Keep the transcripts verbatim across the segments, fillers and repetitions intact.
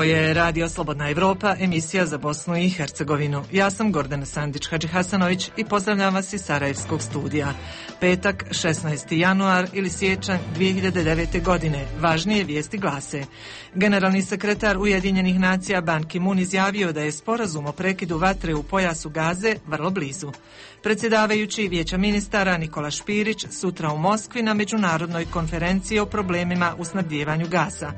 je Radio Slobodna Evropa, emisija za Bosnu i Hercegovinu. Ja sam Gordana Sandić-Hadžihasanović i pozdravljam vas iz Sarajevskog studija. Petak, šesnaesti januar ili siječanj dvije hiljade devete. godine. Važnije vijesti glase. Generalni sekretar Ujedinjenih nacija Ban Ki-moon izjavio da je sporazum o prekidu vatre u pojasu Gaze vrlo blizu. Predsjedavajući Vijeća ministara Nikola Špirić sutra u Moskvi na međunarodnoj konferenciji o problemima u snabdijevanju gasa.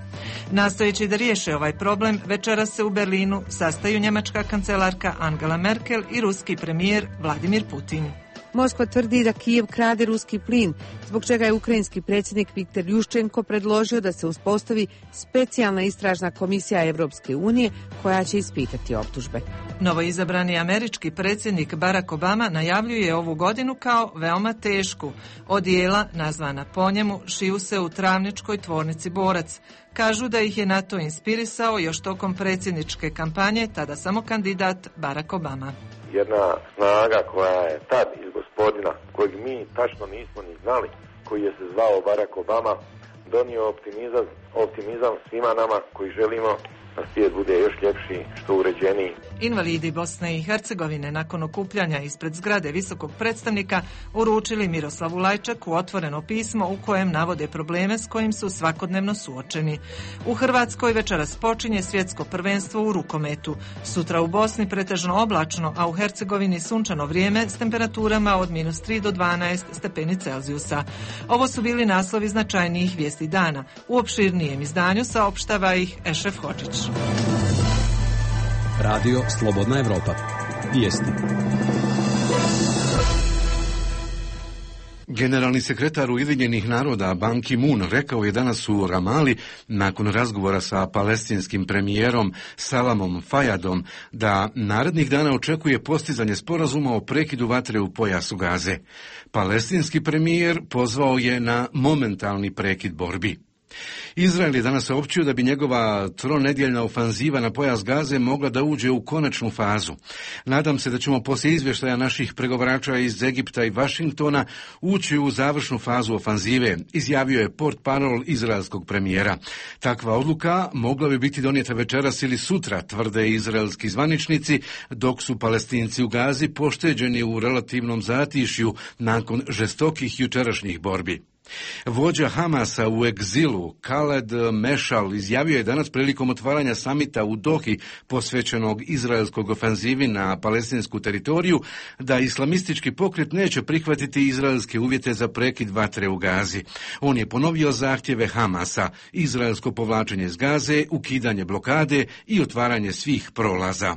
Nastojeći da riješe ovaj problem, večeras se u Berlinu sastaju njemačka kancelarka Angela Merkel i ruski premijer Vladimir Putin. Moskva tvrdi da Kijev krade ruski plin, zbog čega je ukrajinski predsjednik Viktor Juščenko predložio da se uspostavi specijalna istražna komisija Evropske unije koja će ispitati optužbe. Novoizabrani američki predsjednik Barack Obama najavljuje ovu godinu kao veoma tešku. Odijela, nazvana po njemu, šiju se u travničkoj tvornici Borac. Kažu da ih je na to inspirisao još tokom predsjedničke kampanje, tada samo kandidat Barack Obama. Jedna snaga koja je tad iz gospodina, kojeg mi tačno nismo ni znali, koji je se zvao Barack Obama, donio optimizam, optimizam svima nama koji želimo da svijet bude još ljepši, što uređeniji. Invalidi Bosne i Hercegovine nakon okupljanja ispred zgrade visokog predstavnika uručili Miroslavu Lajčaku otvoreno pismo u kojem navode probleme s kojim su svakodnevno suočeni. U Hrvatskoj večeras počinje svjetsko prvenstvo u rukometu. Sutra u Bosni pretežno oblačno, a u Hercegovini sunčano vrijeme s temperaturama od minus tri do dvanaest stepeni Celzijusa. Ovo su bili naslovi značajnijih vijesti dana. U opširnijem izdanju saopštava ih Ešref Hodžić. Radio Slobodna Evropa. Vijesti. Generalni sekretar Ujedinjenih naroda Ban Ki-moon rekao je danas u Ramali nakon razgovora sa palestinskim premijerom Salamom Fayadom da narednih dana očekuje postizanje sporazuma o prekidu vatre u pojasu Gaze. Palestinski premijer pozvao je na momentalni prekid borbi. Izrael je danas saopćio da bi njegova tronedjeljna ofanziva na pojas Gaze mogla da uđe u konačnu fazu. Nadam se da ćemo poslije izvještaja naših pregovarača iz Egipta i Vašingtona ući u završnu fazu ofanzive, izjavio je portparol izraelskog premijera. Takva odluka mogla bi biti donijeta večeras ili sutra, tvrde izraelski zvaničnici, dok su Palestinci u Gazi pošteđeni u relativnom zatišju nakon žestokih jučerašnjih borbi. Vođa Hamasa u egzilu, Khaled Mešal, izjavio je danas prilikom otvaranja samita u Dohi posvećenog izraelskog ofanzivi na palestinsku teritoriju da islamistički pokret neće prihvatiti izraelske uvjete za prekid vatre u Gazi. On je ponovio zahtjeve Hamasa, izraelsko povlačenje iz Gaze, ukidanje blokade i otvaranje svih prolaza.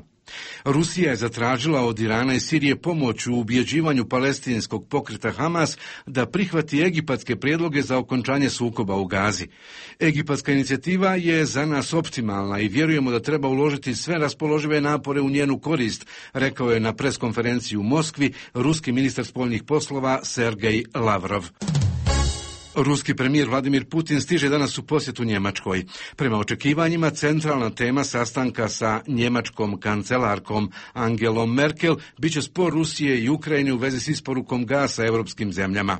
Rusija je zatražila od Irana i Sirije pomoć u ubjeđivanju palestinskog pokreta Hamas da prihvati egipatske prijedloge za okončanje sukoba u Gazi. Egipatska inicijativa je za nas optimalna i vjerujemo da treba uložiti sve raspoložive napore u njenu korist, rekao je na preskonferenciji u Moskvi ruski ministar spoljnih poslova Sergej Lavrov. Ruski premijer Vladimir Putin stiže danas u posjetu Njemačkoj. Prema očekivanjima, centralna tema sastanka sa njemačkom kancelarkom Angelom Merkel biće spor Rusije i Ukrajine u vezi s isporukom gasa europskim zemljama.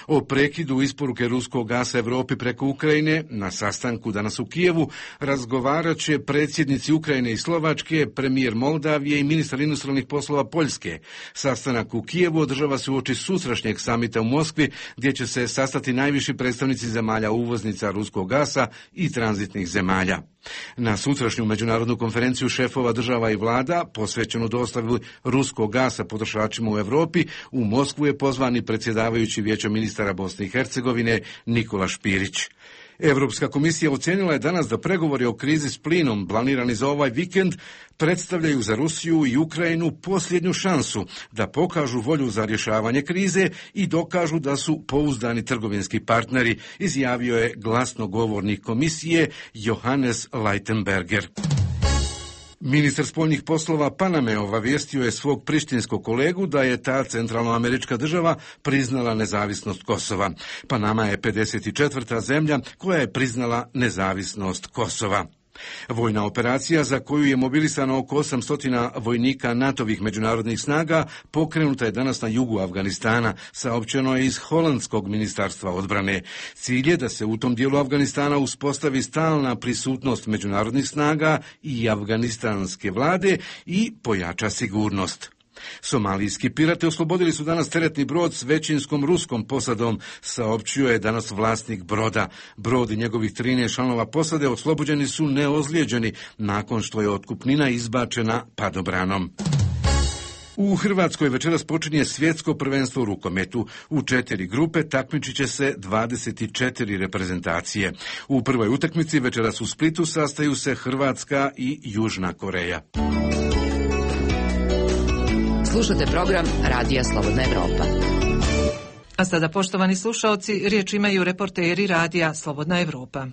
O prekidu isporuke ruskog gasa Europi preko Ukrajine na sastanku danas u Kijevu razgovarat će predsjednici Ukrajine i Slovačke, premijer Moldavije i ministar inostranih poslova Poljske. Sastanak u Kijevu održava se uoči sutrašnjeg samita u Moskvi, gdje će se sastati najviši predstavnici zemalja uvoznica ruskog gasa i tranzitnih zemalja. Na sutrašnju međunarodnu konferenciju šefova država i vlada, posvećenu dostavi ruskog gasa potrošačima u Europi, u Moskvu je pozvani predsjedavajući Vijeća ministara Bosne i Hercegovine Nikola Špirić. Europska komisija ocijenila je danas da pregovori o krizi s plinom planirani za ovaj vikend predstavljaju za Rusiju i Ukrajinu posljednju šansu da pokažu volju za rješavanje krize i dokažu da su pouzdani trgovinski partneri, izjavio je glasnogovornik komisije Johannes Leitenberger. Ministar spoljnih poslova Paname obavijestio je svog prištinskog kolegu da je ta centralnoamerička država priznala nezavisnost Kosova. Panama je pedeset četvrta zemlja koja je priznala nezavisnost Kosova. Vojna operacija za koju je mobilisano oko osamsto vojnika NATO-vih međunarodnih snaga pokrenuta je danas na jugu Afganistana, saopćeno je iz holandskog ministarstva odbrane. Cilj je da se u tom dijelu Afganistana uspostavi stalna prisutnost međunarodnih snaga i afganistanske vlade i pojača sigurnost. Somalijski pirati oslobodili su danas teretni brod s većinskom ruskom posadom, saopćio je danas vlasnik broda. Brod i njegovih trinaest članova posade oslobođeni su neozlijeđeni nakon što je otkupnina izbačena padobranom. U Hrvatskoj večeras počinje svjetsko prvenstvo u rukometu. U četiri grupe takmičit će se dvadeset četiri reprezentacije. U prvoj utakmici večeras u Splitu sastaju se Hrvatska i Južna Koreja. Slušate program Radija Slobodna Evropa. A sada, poštovani slušaoci, riječ imaju reporteri Radija Slobodna Evropa.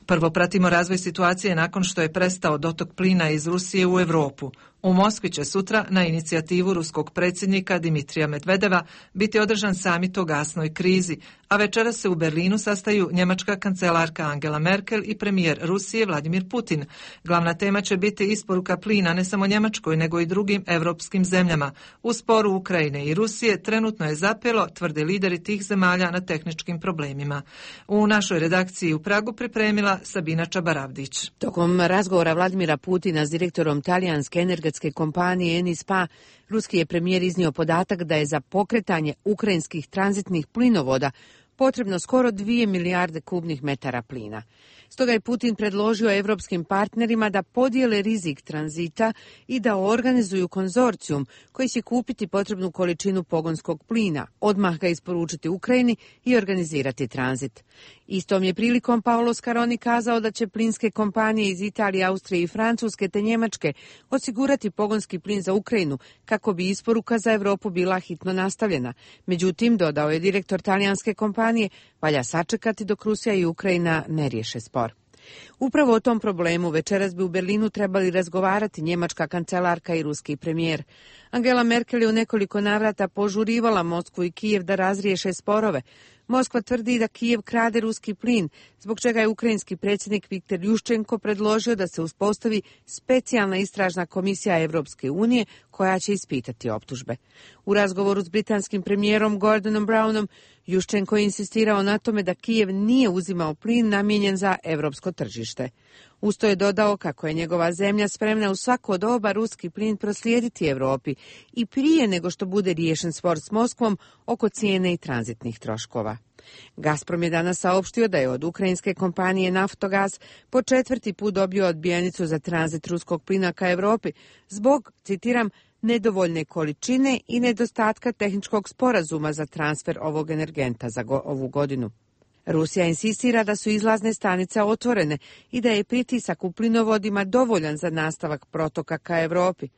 Prvo pratimo razvoj situacije nakon što je prestao dotok plina iz Rusije u Europu. U Moskvi će sutra, na inicijativu ruskog predsjednika Dimitrija Medvedeva, biti održan samit o gasnoj krizi, a večeras se u Berlinu sastaju njemačka kancelarka Angela Merkel i premijer Rusije Vladimir Putin. Glavna tema će biti isporuka plina ne samo Njemačkoj, nego i drugim europskim zemljama. U sporu Ukrajine i Rusije trenutno je zapelo, tvrde lideri tih zemalja, na tehničkim problemima. U našoj redakciji u Pragu pripremila Sabina Čabaravdić. Tokom razgovora Vladimira Putina s direktorom talijanske energetske kompanije Enispa, ruski je premijer iznio podatak da je za pokretanje ukrajinskih tranzitnih plinovoda potrebno skoro dvije milijarde kubnih metara plina. Stoga je Putin predložio evropskim partnerima da podijele rizik tranzita i da organizuju konzorcijum koji će kupiti potrebnu količinu pogonskog plina, odmah ga isporučiti Ukrajini i organizirati tranzit. Istom je prilikom Paolo Scaroni kazao da će plinske kompanije iz Italije, Austrije i Francuske te Njemačke osigurati pogonski plin za Ukrajinu kako bi isporuka za Europu bila hitno nastavljena. Međutim, dodao je direktor talijanske kompanije, valja sačekati dok Rusija i Ukrajina ne riješe spor. Upravo o tom problemu večeras bi u Berlinu trebali razgovarati njemačka kancelarka i ruski premijer. Angela Merkel je u nekoliko navrata požurivala Moskvu i Kijev da razriješe sporove. Moskva tvrdi da Kijev krade ruski plin, zbog čega je ukrajinski predsjednik Viktor Juščenko predložio da se uspostavi specijalna istražna komisija Evropske unije koja će ispitati optužbe. U razgovoru s britanskim premijerom Gordonom Brownom, Juščenko je insistirao na tome da Kijev nije uzimao plin namijenjen za evropsko tržište. Usto je dodao kako je njegova zemlja spremna u svako doba ruski plin proslijediti Europi i prije nego što bude riješen spor s Moskvom oko cijene i tranzitnih troškova. Gazprom je danas saopštio da je od ukrajinske kompanije Naftogaz po četvrti put dobio odbijenicu za tranzit ruskog plina ka Europi zbog, citiram, nedovoljne količine i nedostatka tehničkog sporazuma za transfer ovog energenta za go- ovu godinu. Rusija insistira da su izlazne stanice otvorene i da je pritisak u plinovodima dovoljan za nastavak protoka ka Europi.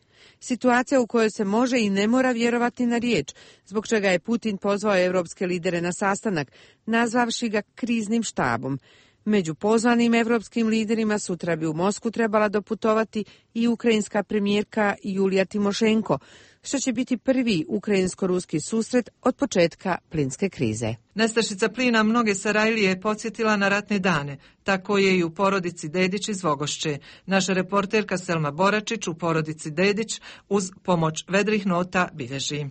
Situacija u kojoj se može i ne mora vjerovati na riječ, zbog čega je Putin pozvao evropske lidere na sastanak, nazvavši ga kriznim štabom. Među pozvanim evropskim liderima sutra bi u Moskvu trebala doputovati i ukrajinska premijerka Julija Timošenko, što će biti prvi ukrajinsko-ruski susret od početka plinske krize. Nestašica plina mnoge Sarajlije je podsjetila na ratne dane. Tako je i u porodici Dedić iz Vogošće. Naša reporterka Selma Boračić u porodici Dedić uz pomoć vedrih nota bilježi.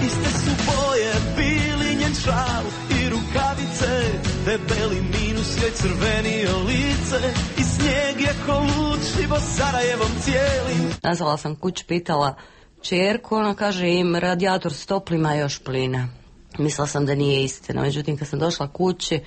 Iste su boje bili njen šal i rukavice, debeli minus joj crvenio lice i snijeg je ko lud šibo Sarajevom cijelim. Nazvala sam kuć, pitala čerku, ona kaže im radijator stoplima još plina. Mislila sam da nije istina, međutim kad sam došla kući,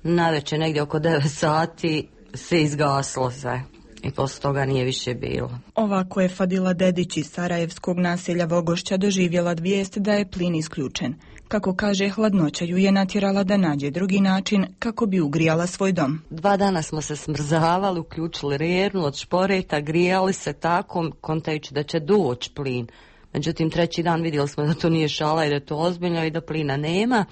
navečer negdje oko devet sati se izgaslo sve. I posle toga nije više bilo. Ovako je Fadila Dedić iz sarajevskog naselja Vogošća doživjela vijest da je plin isključen. Kako kaže, hladnoća ju je natjerala da nađe drugi način kako bi ugrijala svoj dom. Dva dana smo se smrzavali, uključili rernu od šporeta, grijali se tako, kontajući da će doći plin. Međutim, treći dan vidjeli smo da to nije šala i da je to ozbiljno i da plina nema,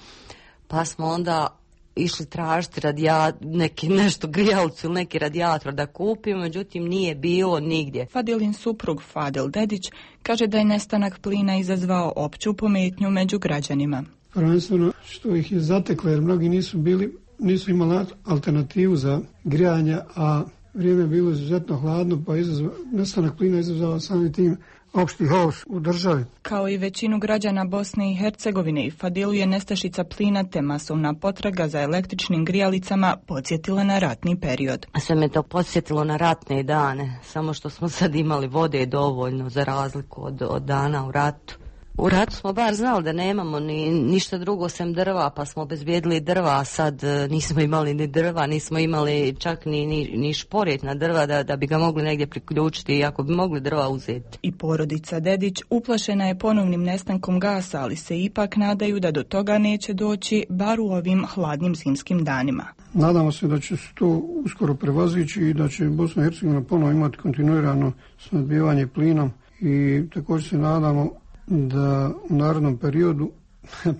pa smo onda išli tražiti radija, neki, nešto grijalcu ili neki radijator da kupimo, međutim nije bilo nigdje. Fadilin suprug Fadil Dedić kaže da je nestanak plina izazvao opću pometnju među građanima. Prvenstveno što ih je zateklo jer mnogi nisu bili nisu imali alternativu za grijanje, a vrijeme je bilo izuzetno hladno, pa izazva, nestanak plina izazvao samim tim opšti haos u državi. Kao i većinu građana Bosne i Hercegovine i Fadilu je nestašica plina te masovna potraga za električnim grijalicama podsjetila na ratni period. Sve me to podsjetilo na ratne dane, samo što smo sad imali vode dovoljno za razliku od, od dana u ratu. U ratu smo bar znali da nemamo ni ništa drugo sem drva, pa smo obezbijedili drva, a sad nismo imali ni drva, nismo imali čak ni, ni, ni šporet na drva da, da bi ga mogli negdje priključiti, ako bi mogli drva uzeti. I porodica Dedić uplašena je ponovnim nestankom gasa, ali se ipak nadaju da do toga neće doći, bar u ovim hladnim zimskim danima. Nadamo se da će se to uskoro prevazići i da će Bosna i Hercegovina ponovo imati kontinuirano snabdijevanje plinom i također se nadamo da u narodnom periodu,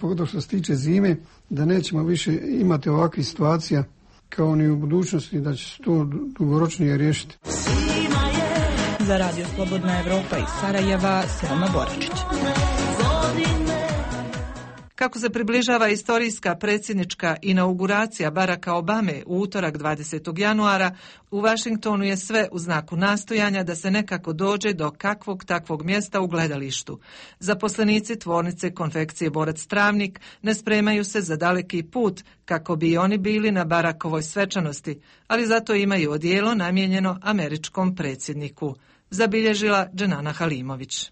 pogotovo što se tiče zime, da nećemo više imati ovakvih situacija kao ni u budućnosti, da će se to dugoročnije riješiti. Za Radio Slobodna Evropa iz Sarajeva, Selma Boračić. Kako se približava istorijska predsjednička inauguracija Baracka Obame u utorak dvadesetog januara, u Vašingtonu je sve u znaku nastojanja da se nekako dođe do kakvog takvog mjesta u gledalištu. Zaposlenici tvornice konfekcije Borac Travnik ne spremaju se za daleki put kako bi i oni bili na Barackovoj svečanosti, ali zato imaju odijelo namijenjeno američkom predsjedniku, zabilježila Dženana Halimović.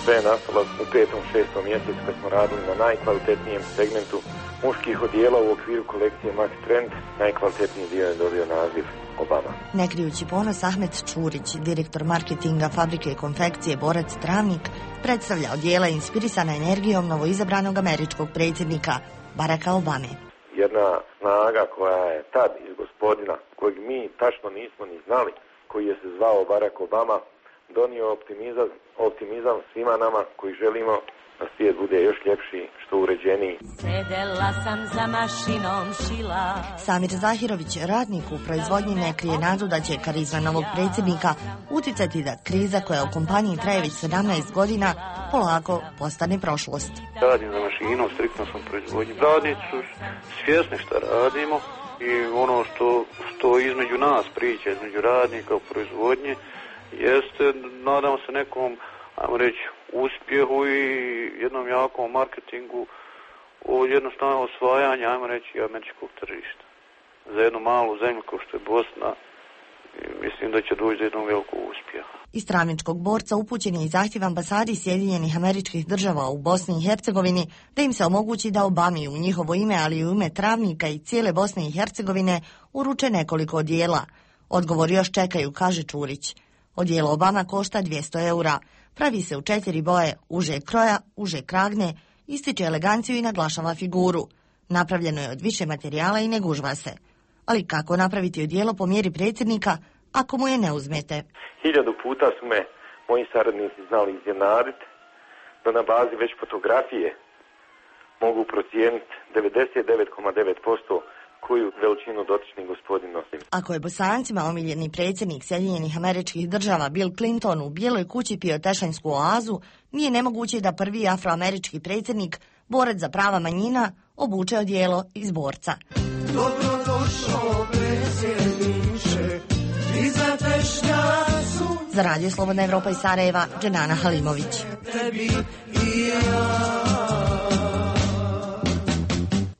Sve je nastalo u petom, šestom mjesecu kad smo radili na najkvalitetnijem segmentu muških odijela u okviru kolekcije Max Trend. Najkvalitetniji dio je dobio naziv Obama. Ne krijući ponos, Ahmet Čurić, direktor marketinga fabrike konfekcije Borac Travnik, predstavlja odijela inspirisana energijom novoizabranog američkog predsjednika Baracka Obame. Jedna snaga koja je tad iz gospodina, kojeg mi tačno nismo ni znali, koji je se zvao Barack Obama, donio optimizam, optimizam svima nama koji želimo da svijet bude još ljepši, što uređeniji. Sedela sam za mašinom šila. Samir Zahirović, radnik u proizvodnji, ne krije nadu da će karizma novog predsjednika uticati da kriza koja u kompaniji traje već sedamnaest godina polako postane prošlost. Radim za mašinom, striktno sam proizvodnji. Radnici su svjesni šta radimo i ono što, što između nas priča, između radnika u proizvodnji, jeste, nadamo se nekom, ajmo reći, uspjehu i jednom jakom marketingu od jednostavno osvajanja, ajmo reći, američkog tržišta. Za jednu malu zemlju kao što je Bosna, mislim da će doći do jednog velikog uspjeha. Iz Travničkog borca upućen je i zahtjev ambasadi Sjedinjenih Američkih Država u Bosni i Hercegovini da im se omogući da Obami u njihovo ime, ali i u ime Travnika i cijele Bosne i Hercegovine uruče nekoliko odijela. Odgovor još čekaju, kaže Čurić. Odijelo Obama košta dvjesto eura. Pravi se u četiri boje, užeg kroja, užeg kragne, ističe eleganciju i naglašava figuru. Napravljeno je od više materijala i ne gužva se. Ali kako napraviti odijelo po mjeri predsjednika ako mu je ne uzmete? Hiljadu puta su me moji saradnici znali iznenaditi da na bazi već fotografije mogu procijeniti devedeset devet zarez devet posto koju veličinu dotični gospodin nosi. Ako je Bosancima omiljeni predsjednik Sjedinjenih Američkih Država Bill Clinton u Bijeloj kući pio tešanjsku oazu, nije nemoguće da prvi afroamerički predsjednik, borac za prava manjina, obuče odijelo iz borca. Dobrodošao predsjedniče, iza tešnjacu. Za Radio Slobodna Evropa iz Sarajeva, Dženana Halimović. Tebi i ja.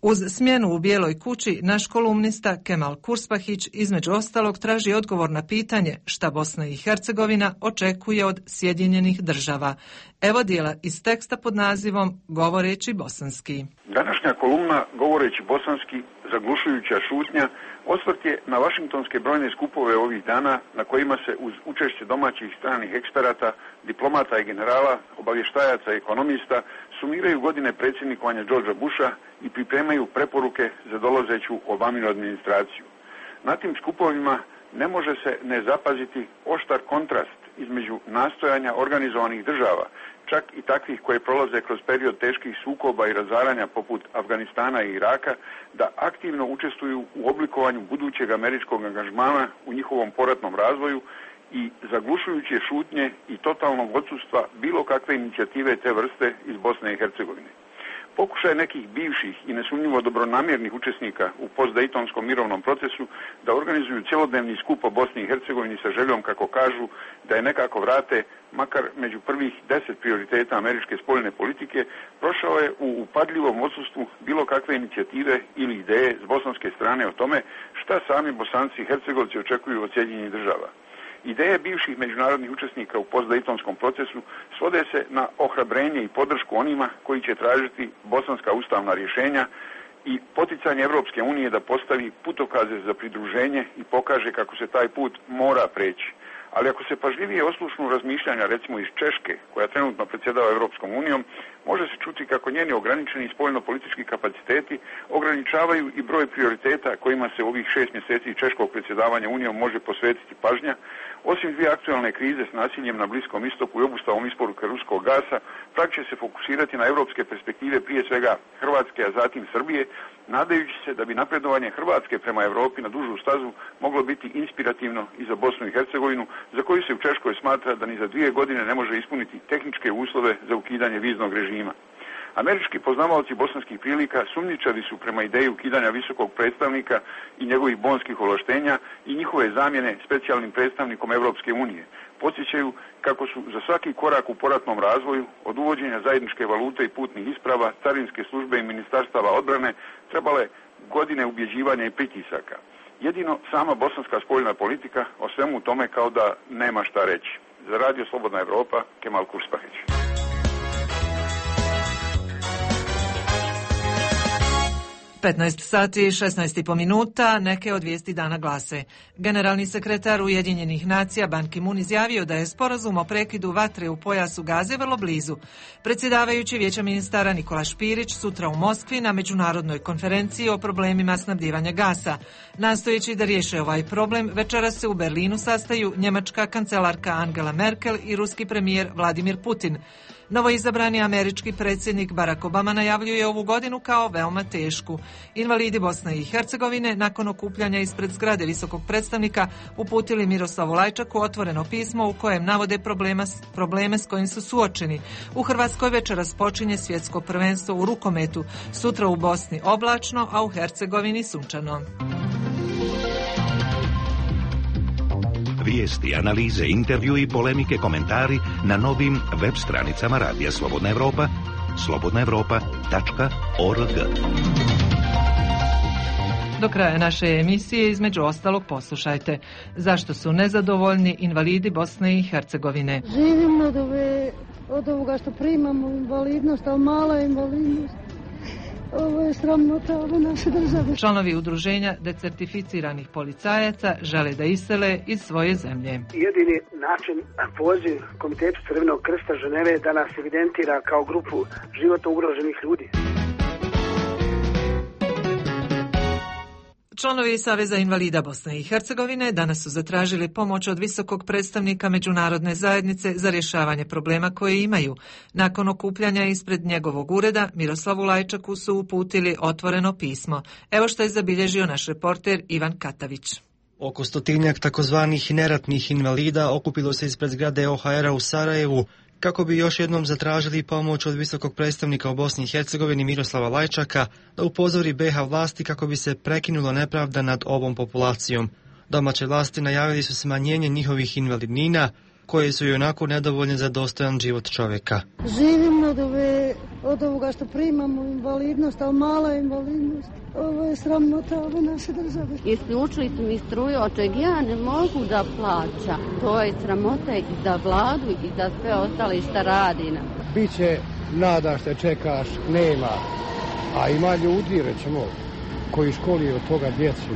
Uz smjenu u Bijeloj kući, naš kolumnista Kemal Kurspahić između ostalog traži odgovor na pitanje šta Bosna i Hercegovina očekuje od Sjedinjenih Država. Evo dijela iz teksta pod nazivom Govoreći bosanski. Današnja kolumna Govoreći bosanski, zaglušujuća šutnja, osvrt je na vašingtonske brojne skupove ovih dana na kojima se uz učešće domaćih stranih eksperata, diplomata i generala, obavještajaca i ekonomista sumiraju godine predsjednikovanja Georgea Busha i pripremaju preporuke za dolazeću Obaminu administraciju. Na tim skupovima ne može se ne zapaziti oštar kontrast između nastojanja organizovanih država, čak i takvih koje prolaze kroz period teških sukoba i razaranja poput Afganistana i Iraka, da aktivno učestvuju u oblikovanju budućeg američkog angažmana u njihovom poratnom razvoju i zaglušujuće šutnje i totalnog odsustva bilo kakve inicijative te vrste iz Bosne i Hercegovine. Pokušaj nekih bivših i nesumnjivo dobronamjernih učesnika u postdejtonskom mirovnom procesu da organizuju cjelodnevni skup o Bosni i Hercegovini sa željom, kako kažu, da je nekako vrate, makar među prvih deset prioriteta američke spoljne politike, prošao je u upadljivom odsustvu bilo kakve inicijative ili ideje s bosanske strane o tome šta sami Bosanci i Hercegovci očekuju od Sjedinjenih država. Ideje bivših međunarodnih učesnika u postdejtonskom procesu svode se na ohrabrenje i podršku onima koji će tražiti bosanska ustavna rješenja i poticanje Evropske unije da postavi putokaze za pridruženje i pokaže kako se taj put mora preći. Ali ako se pažljivije oslušnu razmišljanja, recimo iz Češke, koja trenutno predsjedava Evropskom unijom, može se čuti kako njeni ograničeni spoljno-politički kapaciteti ograničavaju i broj prioriteta kojima se u ovih šest mjeseci češkog predsjedavanja unijom može posvetiti pažnja. Osim dvije aktualne krize s nasiljem na Bliskom istoku i obustavom isporuke ruskog gasa, prak će se fokusirati na europske perspektive, prije svega Hrvatske, a zatim Srbije, nadajući se da bi napredovanje Hrvatske prema Europi na dužu stazu moglo biti inspirativno i za Bosnu i Hercegovinu, za koju se u Češkoj smatra da ni za dvije godine ne može ispuniti tehničke uslove za ukidanje viznog režima. Američki poznavaoci bosanskih prilika sumnjičavi su prema ideji ukidanja visokog predstavnika i njegovih bonskih ovlaštenja i njihove zamjene specijalnim predstavnikom Evropske unije. Podsjećaju kako su za svaki korak u poratnom razvoju, od uvođenja zajedničke valute i putnih isprava, carinske službe i ministarstava odbrane, trebale godine ubjeđivanja i pritisaka. Jedino sama bosanska spoljna politika o svemu tome kao da nema šta reći. Za Radio Slobodna Evropa, Kemal Kurspaheć. petnaest sati i šesnaest i po minuta, neke od vijesti dana glase. Generalni sekretar Ujedinjenih nacija Ban Ki-moon izjavio da je sporazum o prekidu vatre u pojasu Gaze vrlo blizu. Predsjedavajući Vijeća ministara Nikola Špirić sutra u Moskvi na međunarodnoj konferenciji o problemima snabdijevanja gasa. Nastojeći da riješe ovaj problem, večeras se u Berlinu sastaju njemačka kancelarka Angela Merkel i ruski premijer Vladimir Putin. Novoizabrani američki predsjednik Barack Obama najavljuje ovu godinu kao veoma tešku. Invalidi Bosne i Hercegovine nakon okupljanja ispred zgrade visokog predstavnika uputili Miroslavu Lajčaku otvoreno pismo u kojem navode problema, probleme s kojim su suočeni. U Hrvatskoj večeras počinje svjetsko prvenstvo u rukometu, sutra u Bosni oblačno, a u Hercegovini sunčano. Vijesti, analize, intervju i polemike, komentari na novim web stranicama Radija Slobodna Evropa, slobodna evropa tačka org. Do kraja naše emisije između ostalog poslušajte. Zašto su nezadovoljni invalidi Bosne i Hercegovine? Živimo od, ove, od ovoga što primamo invalidnost, ali mala invalidnost. Ovo je sramota ove naše države. Članovi udruženja decertificiranih policajaca žele da isele iz svoje zemlje. Jedini način, poziv Komitetu Crvenog krsta Ženeve da nas evidentira kao grupu životno ugroženih ljudi. Članovi Saveza invalida Bosne i Hercegovine danas su zatražili pomoć od visokog predstavnika međunarodne zajednice za rješavanje problema koje imaju. Nakon okupljanja ispred njegovog ureda, Miroslavu Lajčaku su uputili otvoreno pismo. Evo što je zabilježio naš reporter Ivan Katavić. Oko stotinjak takozvanih neratnih invalida okupilo se ispred zgrade O H R-a u Sarajevu kako bi još jednom zatražili pomoć od visokog predstavnika u Bosni i Hercegovini Miroslava Lajčaka da upozori B iH vlasti kako bi se prekinulo nepravda nad ovom populacijom. Domaće vlasti najavili su smanjenje njihovih invalidnina, koje su i onako nedovoljne za dostojan život čovjeka. Živimo od, ove, od ovoga što primamo invalidnost, ali mala invalidnost. Ovo je sramota ove naše države. Isključili su mi struju, od čeg ja ne mogu da plaćam. To je sramota i za vladu i za sve ostale šta radi nam. Biće nada što čekaš, nema. A ima ljudi, recimo, koji školi od toga djecu.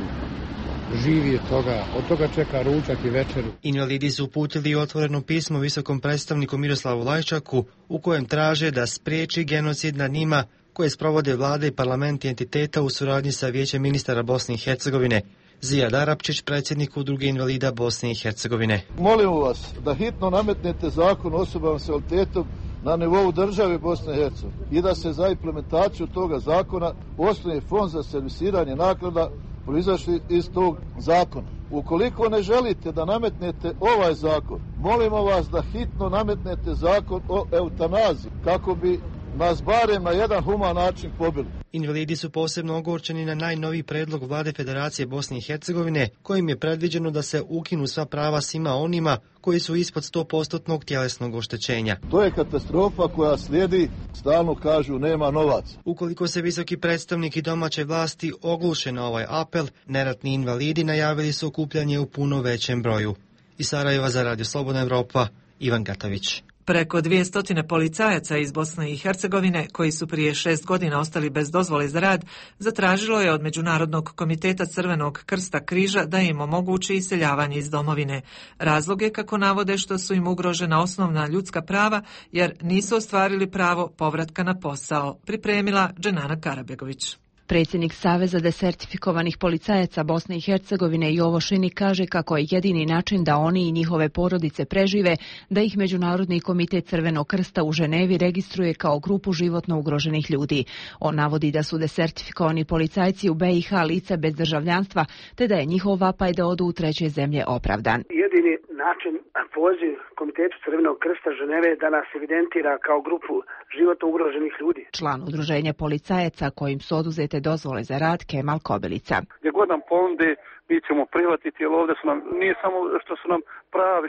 Živi od toga, od toga čeka ručak i večeru. Invalidi su uputili otvoreno pismo visokom predstavniku Miroslavu Lajčaku u kojem traže da spriječi genocid nad njima koje sprovode vlade i parlamenti entiteta u suradnji sa Vijećem ministara Bosne i Hercegovine. Zijad Arapčić, predsjednik Udruge invalida Bosne i Hercegovine. Molimo vas da hitno nametnete zakon o osobama s invaliditetom na nivou države Bosne i Hercegovine i da se za implementaciju toga zakona osnuje fond za servisiranje naknada proizašli iz tog zakona. Ukoliko ne želite da nametnete ovaj zakon, molimo vas da hitno nametnete zakon o eutanaziji kako bi nas barem na jedan human način pobili. Invalidi su posebno ogorčeni na najnoviji predlog vlade Federacije Bosne i Hercegovine, kojim je predviđeno da se ukinu sva prava svima onima koji su ispod sto posto tjelesnog oštećenja. To je katastrofa koja slijedi, stalno kažu nema novaca. Ukoliko se visoki predstavnik i domaće vlasti ogluše na ovaj apel, neratni invalidi najavili su okupljanje u puno većem broju. Iz Sarajeva za Radio Slobodna Evropa, Ivan Gatović. Preko dvjesto policajaca iz Bosne i Hercegovine, koji su prije šest godina ostali bez dozvole za rad, zatražilo je od Međunarodnog komiteta Crvenog krsta križa da im omogući iseljavanje iz domovine. Razlog je, kako navode, što su im ugrožena osnovna ljudska prava, jer nisu ostvarili pravo povratka na posao, pripremila Dženana Karabegović. Predsjednik Saveza desertifikovanih policajaca Bosne i Hercegovine Jovo Šini kaže kako je jedini način da oni i njihove porodice prežive da ih Međunarodni komitet Crvenog krsta u Ženevi registruje kao grupu životno ugroženih ljudi. On navodi da su desertifikovani policajci u B i H lica bez državljanstva, te da je njihov vapaj da odu u treće zemlje opravdan. Jedini način, poziv Komitetu Crvenog krsta Ženeve da nas evidentira kao grupu životno ugroženih ljudi. Član udruženja policajaca kojim su oduzete dozvole za rad Kemal Kobilica. Gdje god nam ponude, mi ćemo prihvatiti, jer ovdje su nam, nije samo što su nam pravi,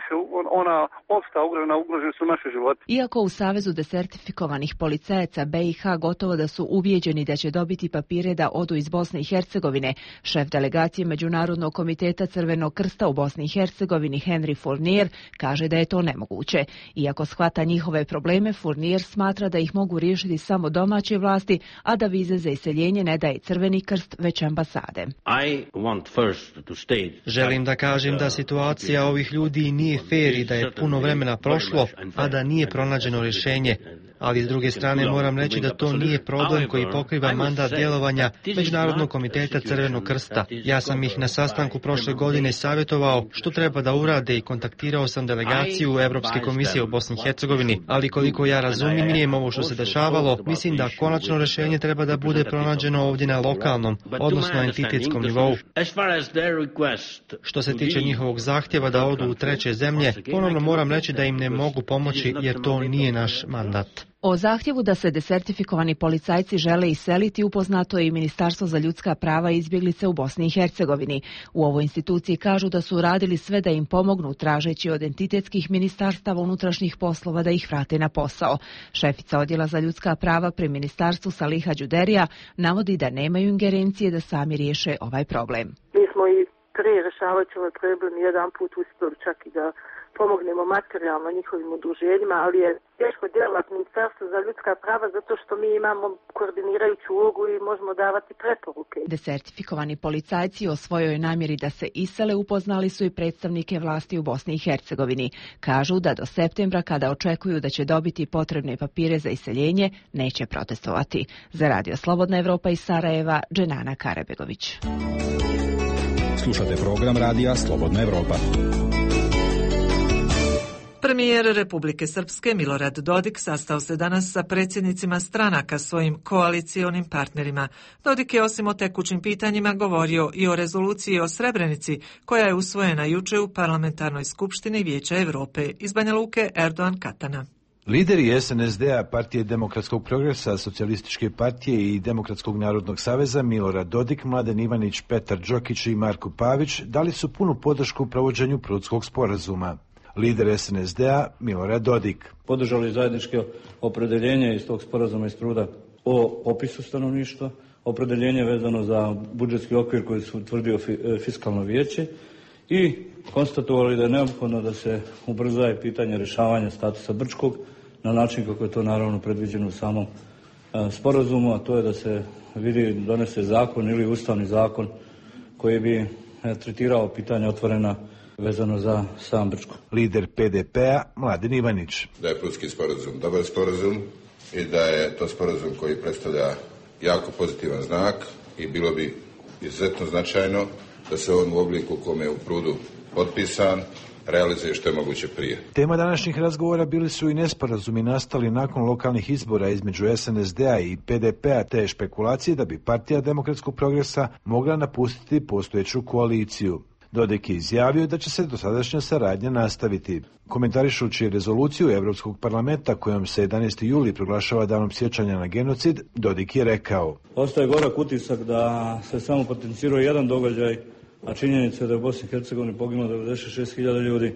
ona opsta ugrožena, ugroženi su naše živote. Iako u Savezu desertifikovanih policajaca B i H gotovo da su ubijeđeni da će dobiti papire da odu iz Bosne i Hercegovine, šef delegacije Međunarodnog komiteta Crvenog krsta u Bosni i Hercegovini Henry Fournier kaže da je to nemoguće. Iako shvata njihove probleme, Fournier smatra da ih mogu riješiti samo domaće vlasti, a da vize za iseljenje ne daje Crveni krst, već ambasade. I want first Želim da kažem da situacija ovih ljudi nije fair i da je puno vremena prošlo, a da nije pronađeno rješenje. Ali s druge strane moram reći da to nije problem koji pokriva mandat djelovanja Međunarodnog komiteta Crvenog krsta. Ja sam ih na sastanku prošle godine savjetovao što treba da urade i kontaktirao sam delegaciju Europske komisije u Bosni i Hercegovini, ali koliko ja razumijem ovo što se dešavalo, mislim da konačno rješenje treba da bude pronađeno ovdje na lokalnom, odnosno entitetskom nivou. Što se tiče njihovog zahtjeva da odu u treće zemlje, ponovno moram reći da im ne mogu pomoći jer to nije naš mandat. O zahtjevu da se desertifikovani policajci žele iseliti upoznato je i Ministarstvo za ljudska prava i izbjeglice u Bosni i Hercegovini. U ovoj instituciji kažu da su radili sve da im pomognu, tražeći od entitetskih ministarstava unutrašnjih poslova da ih vrate na posao. Šefica odjela za ljudska prava pri ministarstvu Saliha Đuderija navodi da nemaju ingerencije da sami riješe ovaj problem. Mi smo i prije rješavajući ovaj problem jedan put uspjeli čak i da pomognemo materijalno njihovim udruženjima, ali je teško djelovati Ministarstvo za ljudska prava zato što mi imamo koordinirajuću ulogu i možemo davati preporuke. Desertifikovani policajci o svojoj namjeri da se isele upoznali su i predstavnike vlasti u Bosni i Hercegovini. Kažu da do septembra, kada očekuju da će dobiti potrebne papire za iseljenje, neće protestovati. Za Radio Slobodna Evropa iz Sarajeva, Dženana Karabegović. Slušate program Radija Slobodna Evropa. Premijer Republike Srpske Milorad Dodik sastao se danas sa predsjednicima stranaka, svojim koalicionim partnerima. Dodik je osim o tekućim pitanjima govorio i o rezoluciji o Srebrenici, koja je usvojena juče u Parlamentarnoj skupštini Vijeća Europe. Iz Banja Luke, Erdogan Katana. Lideri S N S D-a, Partije demokratskog progresa, Socijalističke partije i Demokratskog narodnog saveza Milorad Dodik, Mladen Ivanić, Petar Đokić i Marko Pavić dali su punu podršku u provođenju Prudskog sporazuma. Lider S N S D-a Milorad Dodik. Podržali zajedničko opredeljenje iz tog sporazuma iz Pruda o popisu stanovništva, opredeljenje vezano za budžetski okvir koji su utvrdio fiskalno vijeće i konstatovali da je neophodno da se ubrzaje pitanje rješavanja statusa Brčkog na način kako je to naravno predviđeno u samom sporazumu, a to je da se vidi donese zakon ili ustavni zakon koji bi tretirao pitanje otvorena vezano za sam Brčko. Lider P D P-a Mladen Ivanić. Da je Prudski sporazum dobar sporazum i da je to sporazum koji predstavlja jako pozitivan znak i bilo bi izuzetno značajno da se on u obliku u kome je u Prudu potpisan realizuje što je moguće prije. Tema današnjih razgovora bili su i nesporazumi nastali nakon lokalnih izbora između S N S D-a i P D P-a te špekulacije da bi Partija demokratskog progresa mogla napustiti postojeću koaliciju. Dodik je izjavio da će se dosadašnja saradnja nastaviti. Komentarišući rezoluciju Europskog parlamenta kojom se jedanaesti juli proglašava danom sjećanja na genocid, Dodik je rekao: Ostaje gorak utisak da se samo potencirao jedan događaj, a činjenica je da je u Bosni i Hercegovini poginulo devedeset šest hiljada ljudi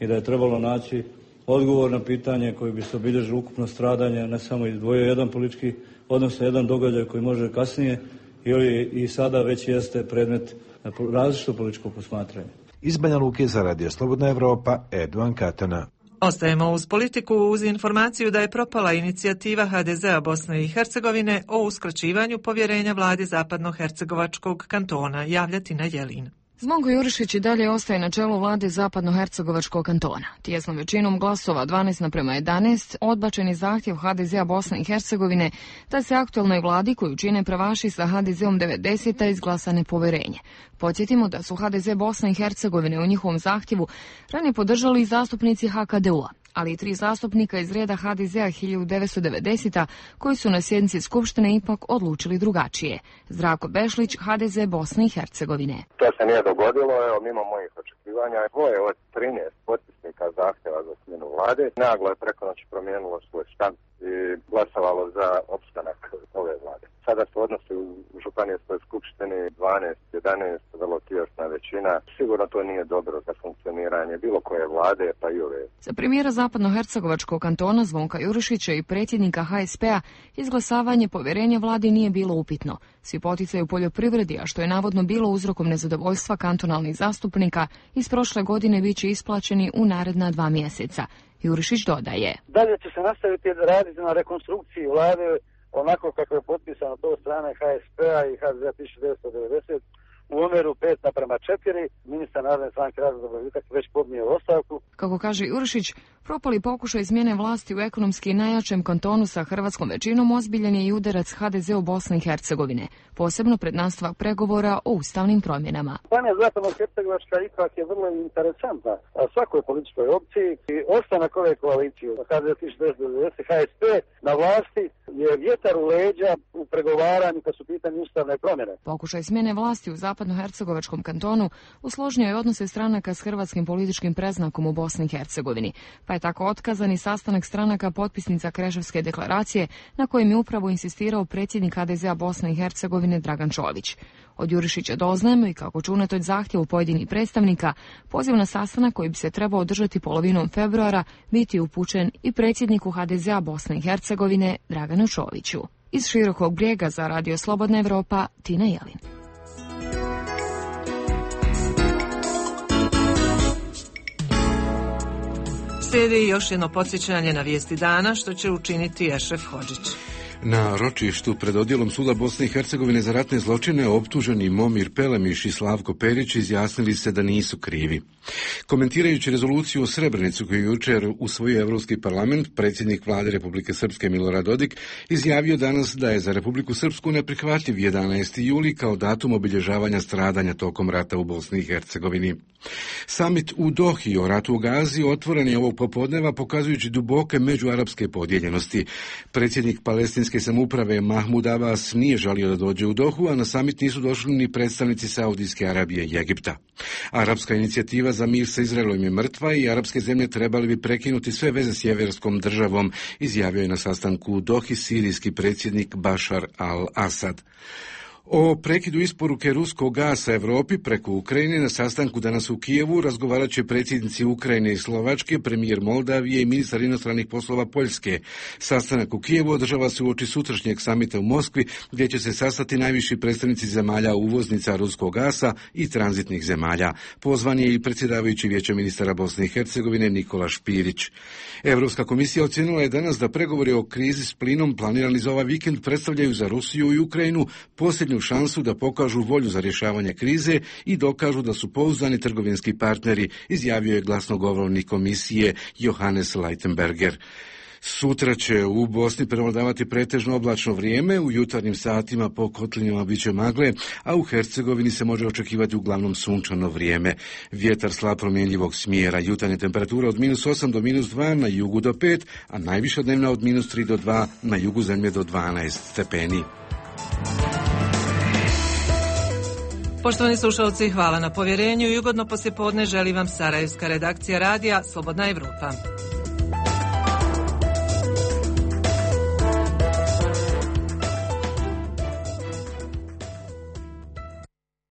i da je trebalo naći odgovor na pitanje koji bi se obilježilo ukupno stradanje, ne samo izdvojio jedan politički, odnosno jedan događaj koji može kasnije ili i sada već jeste predmet različitog političkog posmatranja. Iz Banja Luke za Radio Slobodna Evropa, Erdogan Katana. Ostajemo uz politiku uz informaciju da je propala inicijativa ha de zea Bosne i Hercegovine o uskraćivanju povjerenja vladi Zapadnohercegovačkog kantona, javlja Tina Jelin. Zvonko Jurišić i dalje ostaje na čelu vlade Zapadnohercegovačkog kantona. Tijesnom većinom glasova dvanaest naprema jedanaest odbačen je zahtjev ha de zea Bosne i Hercegovine da se aktualnoj vladi koju čine pravaši sa ha de zeom devedeseta izglasa nepoverenje. Podsjetimo da su ha de ze Bosne i Hercegovine u njihovom zahtjevu ranije podržali i zastupnici ha ka de u a, ali i tri zastupnika iz reda ha de zea hiljadu devetsto devedeseta koji su na sjednici Skupštine ipak odlučili drugačije. Zdravko Bešlić, ha de ze Bosne i Hercegovine. To se nije dogodilo, evo, mimo mojih očekivanja. Dvoje od trinaest potpisnika zahtjeva za smjenu vlade naglo je preko noći promijenilo svoj stav i glasovalo za opstanak ove vlade. Sada se odnosi u Županijskoj skupštini dvanaest jedanaest, vrlo tjesna većina. Sigurno to nije dobro za funkcioniranje bilo koje vlade, pa i ove. Za premijera Zapadnohercegovačkog kantona Zvonka Jurišića i predsjednika ha es pe a izglasavanje povjerenja vladi nije bilo upitno. Svi poticaji u poljoprivredi, a što je navodno bilo uzrokom nezadovoljstva kantonalnih zastupnika, iz prošle godine bit će isplaćeni u naredna dva mjeseca. Jurišić dodaje: Dalje će se nastaviti raditi na rekonstrukciji vlade onako kako je potpisano to od strane ha es pe a i ha de zea hiljadu devetsto devedeset u omjeru pet naprema četiri. Ministar Narodne stranke Razvoj Dobrovitak već podnio ostavku. Kako kaže Jurišić, propali pokušaj izmjene vlasti u ekonomski najjačem kantonu sa hrvatskom većinom ozbiljen je i udarac ha de zeu Bosne i Hercegovine, posebno pred nastavak pregovora o ustavnim promjenama. Županija Zapadnohercegovačka ipak je vrlo interesantna svakoj političkoj opciji i ostanak ove koalicije ha de zea hiljadu devetsto devedeset ha es pe na vlasti je vjetar u leđa u pregovaranju kad su pitanje ustavne promjene. Pokušaj smjene vlasti u Zapadnohercegovačkom kantonu usložnio je odnose stranaka s hrvatskim političkim predznakom u Bosni i Hercegovini, pa je tako otkazan i sastanak stranaka potpisnica Kreševske deklaracije na kojem je upravo insistirao predsjednik ha de zea Bosne i Hercegovine Dragan Čović. Od Jurišića doznajemo i kako će unatoč zahtjevu pojedinih predstavnika poziv na sastanak koji bi se trebao održati polovinom februara biti upućen i predsjedniku ha de zea Bosne i Hercegovine Draganu Čoviću. Iz Širokog Brijega za Radio Slobodna Evropa, Tina Jelin. Slijedi još jedno podsjećanje na vijesti dana što će učiniti Ešref Hodžić. Na ročištu pred odjelom suda Bosne i Hercegovine za ratne zločine optuženi Momir Pelemiš i Slavko Perić izjasnili se da nisu krivi. Komentirajući rezoluciju o Srebrenicu koju je jučer usvojio Europski parlament, predsjednik vlade Republike Srpske Milorad Dodik izjavio danas da je za Republiku Srpsku neprihvatljiv jedanaesti juli kao datum obilježavanja stradanja tokom rata u Bosni i Hercegovini. Samit u Dohi o ratu u Gazi otvoren je ovog popodneva pokazujući duboke međuarapske podijeljenosti. Predsjednik palestinske samouprave Mahmud Abbas nije želio da dođe u Dohu, a na samit nisu došli ni predstavnici Saudijske Arabije i Egipta. Arapska inicijativa za mir sa Izraelom je mrtva i arapske zemlje trebali bi prekinuti sve veze s jeverskom državom, izjavio je na sastanku u Dohi sirijski predsjednik Bašar al-Asad. O prekidu isporuke ruskog gasa Europi preko Ukrajine na sastanku danas u Kijevu razgovarat će predsjednici Ukrajine i Slovačke, premijer Moldavije i ministar inostranih poslova Poljske. Sastanak u Kijevu održava se uoči sutrašnjeg samita u Moskvi, gdje će se sastati najviši predstavnici zemalja uvoznica ruskog gasa i tranzitnih zemalja. Pozvan je i predsjedavajući Vijeća ministara Bosne i Hercegovine Nikola Špirić. Europska komisija ocijenila je danas da pregovori o krizi s plinom planirani za ovaj vikend predstavljaju za Rusiju i Ukrajinu posljednju šansu da pokažu volju za rješavanje krize i dokažu da su pouzdani trgovinski partneri, izjavio je glasnogovornik komisije Johannes Leitenberger. Sutra će u Bosni prevladavati pretežno oblačno vrijeme, u jutarnjim satima po kotlinama bit će magle, a u Hercegovini se može očekivati uglavnom sunčano vrijeme. Vjetar slab promjenjivog smjera, jutarnje temperatura od minus osam do minus dva, na jugu do pet, a najviša dnevna od minus tri do dva, na jugu zemlje do dvanaest stepeni. Poštovani slušalci, hvala na povjerenju i ugodno poslijepodne želi vam sarajevska redakcija radija Slobodna Evropa.